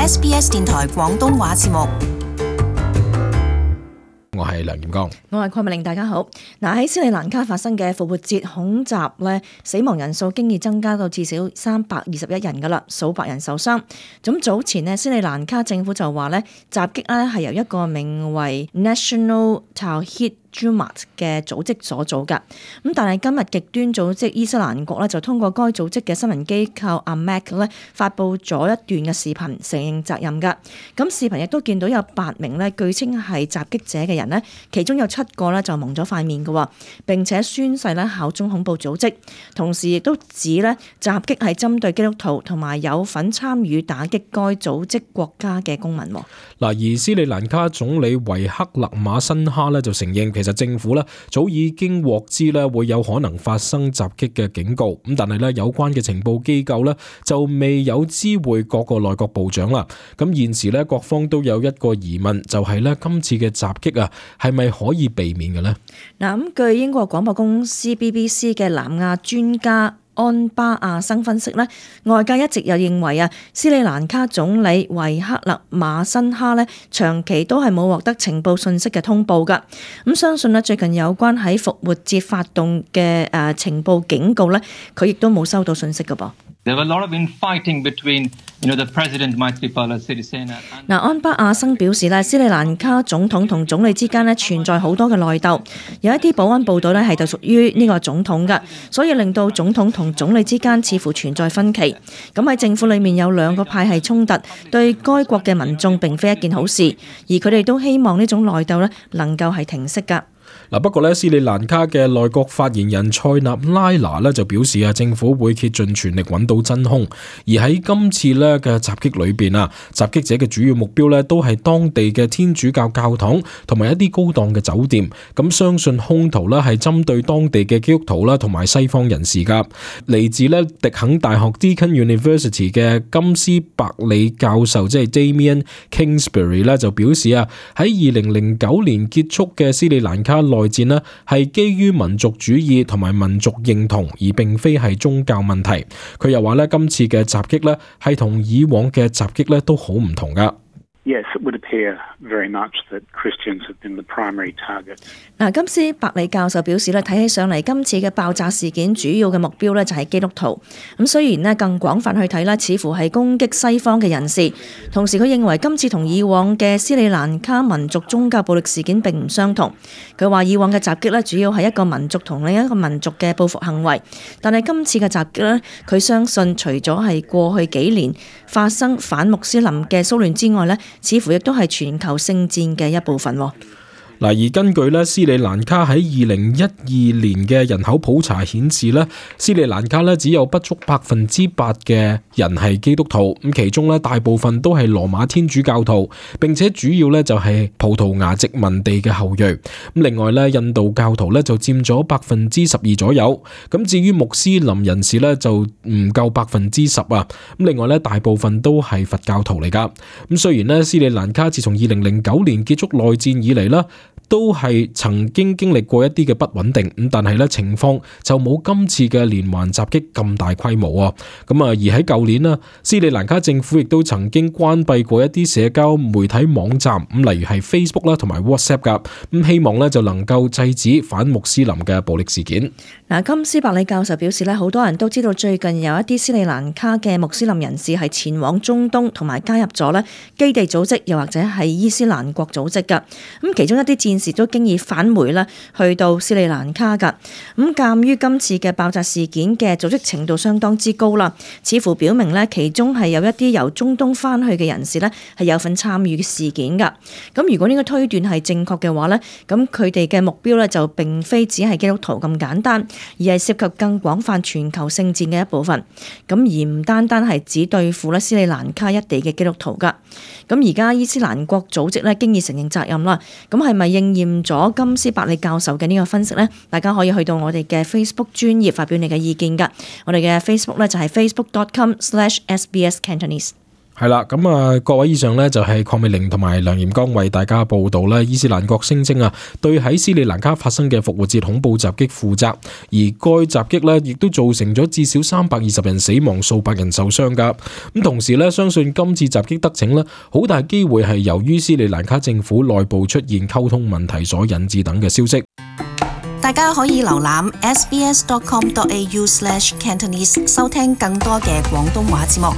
SBS 電台廣東話節目。我係梁劍剛，我係鄺美玲，大家好。喺斯里蘭卡發生嘅復活節恐襲咧，死亡人數經已增加到至少321人噶啦，數百人受傷。咁早前咧，斯里蘭卡政府就話咧，襲擊咧係由一個名為 National Tawhid Jemaat 嘅組織所做㗎。咁但係今日極端組織伊斯蘭國咧就通過該組織嘅新聞機構 Amaq 咧發布咗一段嘅視頻，承認責任㗎。咁視頻亦都見到有8名咧據稱係襲擊者嘅人咧，其中有7個咧就蒙咗塊面嘅喎，並且宣誓咧效忠恐怖組織，同時亦都指咧襲擊係針對基督徒同埋有份參與打擊該組織國家嘅公民。而斯里蘭卡總理維克勒馬辛哈咧就承認，其實政府咧早已經獲知咧會有可能發生襲擊嘅警告，咁但係咧有關嘅情報機構咧就未有知會各個內閣部長啦。咁現時咧各方都有一個疑問，就係咧今次嘅襲擊啊係咪可以避免嘅呢？咁據英國廣播公司 BBC 嘅南亞專家安巴亞生分析咧，外界一直又認為斯里蘭卡總理維克勒馬辛哈咧長期都係冇獲得情報信息嘅通報㗎。咁相信最近有關喺復活節發動嘅情報警告咧，佢亦都冇收到信息㗎噃。There were a lot of infighting between, the President Maithripala Sirisena. 安巴亞生表示斯里蘭卡總統同總理之間存在好多嘅內鬥，有一啲保安部隊係就屬於呢個總統㗎，所以令到總統同總理之間似乎存在分歧。咁喺政府裏面有2個派系衝突，對該國嘅民眾並非一件好事，而佢哋都希望呢種內鬥能夠係停息㗎。不過斯里蘭卡嘅內閣發言人塞納拉拿就表示政府會竭盡全力揾到真兇，而喺今次嘅襲擊裏邊襲擊者嘅主要目標都係當地嘅天主教教堂同埋一啲高檔嘅酒店，咁相信兇徒係針對當地嘅基督徒啦同埋西方人士噶。嚟自迪肯大學 Deakin University 嘅金斯伯里教授即係 Damien Kingsbury 就表示喺2009年結束嘅斯里蘭卡內戰呢係基於民族主義同埋民族認同，而並非係宗教問題。佢又話今次嘅襲擊呢係同以往嘅襲擊呢都好唔同噶。Yes, it would appear very much that Christians have been the primary target. 金斯伯里教授表示睇起上嚟今次嘅爆炸事件主要嘅目標就係基督徒。咁雖然更廣泛去睇似乎係攻擊西方嘅人士。同時佢認為今次同以往嘅斯里蘭卡民族宗教暴力事件並唔相同。佢話以往嘅襲擊主要係一個民族同另一個民族嘅報復行為，但係今次嘅襲擊佢相信除咗係過去幾年發生反穆斯林嘅騷亂之外似乎亦都係全球聖戰嘅一部分。而根據斯里蘭卡喺2012年嘅人口普查顯示斯里蘭卡只有不足8%嘅人係基督徒，咁其中大部分都係羅馬天主教徒，並且主要就係葡萄牙殖民地嘅後裔。咁另外印度教徒就佔咗12%左右，咁至於穆斯林人士就唔夠10%啊。咁另外大部分都係佛教徒嚟噶。咁雖然斯里蘭卡自從2009年結束內戰以嚟都係曾經經歷過一啲嘅不穩定，咁但係情況就冇今次嘅連環襲擊咁大規模啊。而喺舊年斯里蘭卡政府亦都曾經關閉過一啲社交媒體網站，例如係 Facebook 啦同埋 WhatsApp 噶，咁希望就能夠制止反穆斯林嘅暴力事件。金斯伯里教授表示好多人都知道最近有一啲斯里蘭卡嘅穆斯林人士係前往中東同埋加入咗基地組織，又或者係伊斯蘭國組織噶。咁其中一啲戰士都經已返回去到斯里蘭卡噶。咁鑑於今次嘅爆炸事件嘅組織程度相當之高啦，似乎表明其中係有一啲由中東返去嘅人士係有份參與嘅事件噶。咁如果呢個推斷係正確嘅話咁佢哋嘅目標就並非只係基督徒咁簡單，而係涉及更廣泛全球聖戰嘅一部分。咁而唔單單係只對付斯里蘭卡一地嘅基督徒噶。咁而家伊斯蘭國組織經已承認責任啦。咁係咪應驗咗金斯伯里教授嘅呢個分析呢？大家可以去到我哋嘅 Facebook 專頁發表你嘅意見噶。我哋嘅 Facebook 就係 facebook.com/SBS Cantonese。係啦，咁啊，各位以上呢，就係鄺美玲同埋梁炎剛為大家報道啦。伊斯蘭國聲稱啊，對喺斯里蘭卡發生嘅復活節恐怖襲擊負責，而該襲擊呢，亦都造成咗至少320人死亡、數百人受傷噶。咁同時呢，相信今次襲擊得逞呢，好大機會係由於斯里蘭卡政府內部出現溝通問題所引致等嘅消息。大家可以瀏覽 sbs.com.au/Cantonese 收聽更多嘅廣東話節目。